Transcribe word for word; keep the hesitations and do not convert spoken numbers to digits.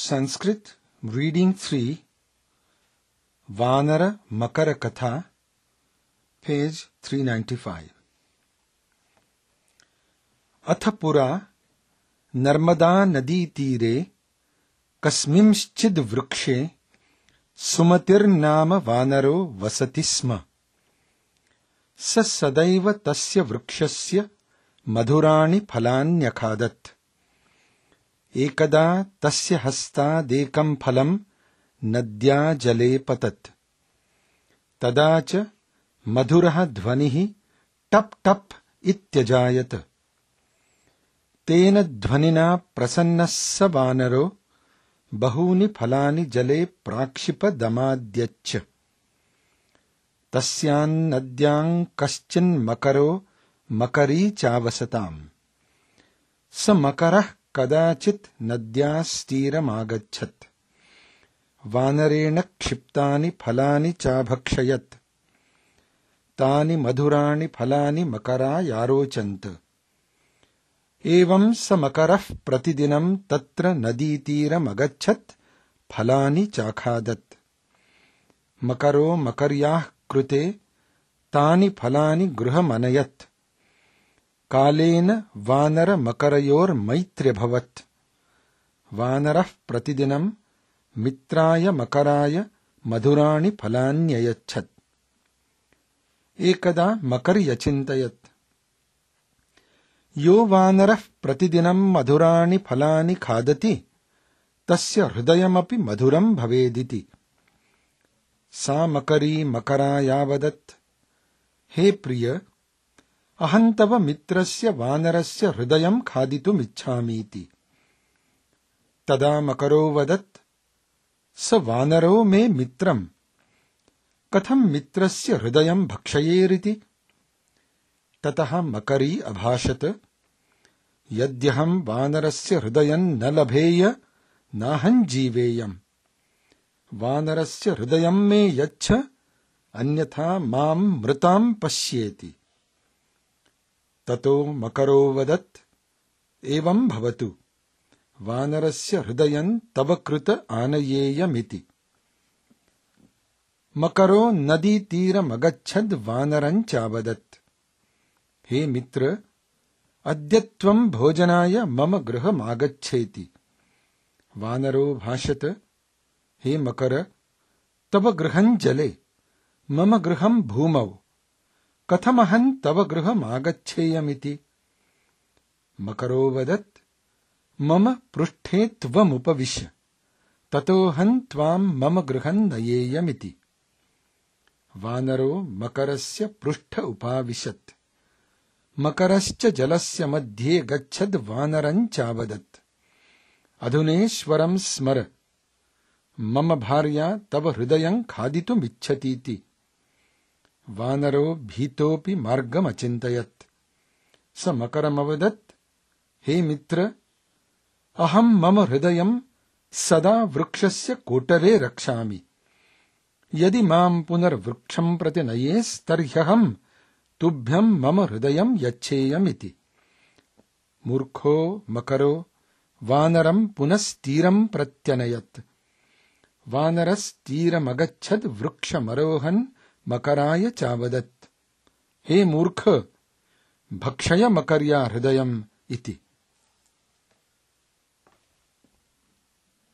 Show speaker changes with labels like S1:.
S1: Sanskrit, Reading three, Vanara Makara Katha, page three ninety-five. Athapura Narmada Nadi Tire Kasmimschid Vrukshe Sumatir Nama Vanaro Vasati Sma Sa Sadaiva Tasya Vrukshasya Madhurani Phalanyakhadat Ekada Tasya Hasta Dekam Phalam Nadya Jale Patat Tadacha Madhuraha Dhvanihi Tap Tap Ityajayat Tena Dhvanina Prasannassa Vanaro Bahuni Phalani Jale Prakshipa Damadyach Tasyan Nadyang Kaschin Makaro Makari Chavasatam Sa Makarah Kadachit Nadyasthiram Agachat Vanarena Kshiptani Phalani Chabhakshayat Tani Madhurani Phalani Makara Yarochant Evam sa Makarah Pratidinam Tatra Naditiram Agachat Phalani Chakhadat Makaro Makaryah Krute Tani Phalani Gruhamanayat Kalena Vanara Makarayor Maitre Bhavat Vanarah Pratidinam Mitraya Makaraya Madhurani Phalanyayachat Ekada Makaryachintayat Yo Vanarah Pratidinam Madhurani Phalani Khadati Tasya Hridayamapi Madhuram Bhavediti Sa Makari Makara Yavadat He Priya Ahantava Mitrasya Vanarasya Hridayam Khaditum Ichhamiti Tada Makaro Vadat Sa Vanaro me Mitram Katham Mitrasya Hridayam Bhakshayeriti Tataha Makari Abhashat Yadyaham Vanarasya Hridayan Nalabheya Nahan Jiveyam Vanarasya Hridayam me Yacha Anyatha Mam Mritam Pashyeti Tato Makaro Vadat Evam Bhavatu Vanarasya Hridayan Tavakruta Anayeyamiti Makaro Nadi Tira Magachad Vanaran Chavadat He Mitra Adyatvam Bhojanaya Mama Graham Agacheti Vanaro Bhashata He Makara Tava Grahan Jale Mama Graham Bhumav Kathamahan Tava Graham Agacheyamiti Makaro Vadat Mama Prushthe Tvam Upavisha Tatohan Tvam Mama Grahan Nayeyamiti Vanaro Makarasya Prushtha Upavishat Makarascha Jalasya Madhye Gachad Vanaran Chavadat Adhuneshwaram Smara Mama Bharya Tava Hridayam Khaditum Ichhatiti Vanaro Bhitopi Margam Achintayat Sa Makaramavadat He Mitra Aham Mama Hridayam Sada Vrukshasya Kotare Rakshami Yadi Mam Punar Vruksham Prati Nayes Tarhyaham Tubhyam Mama Hridayam Yacheyamiti Murkho Makaro Vanaram Punastiram Pratyanayat Vanaras Tira Magachad Vruksha Marohan Makaraya Chavadat He Murkha Bhakshaya Makarya Hridayam Iti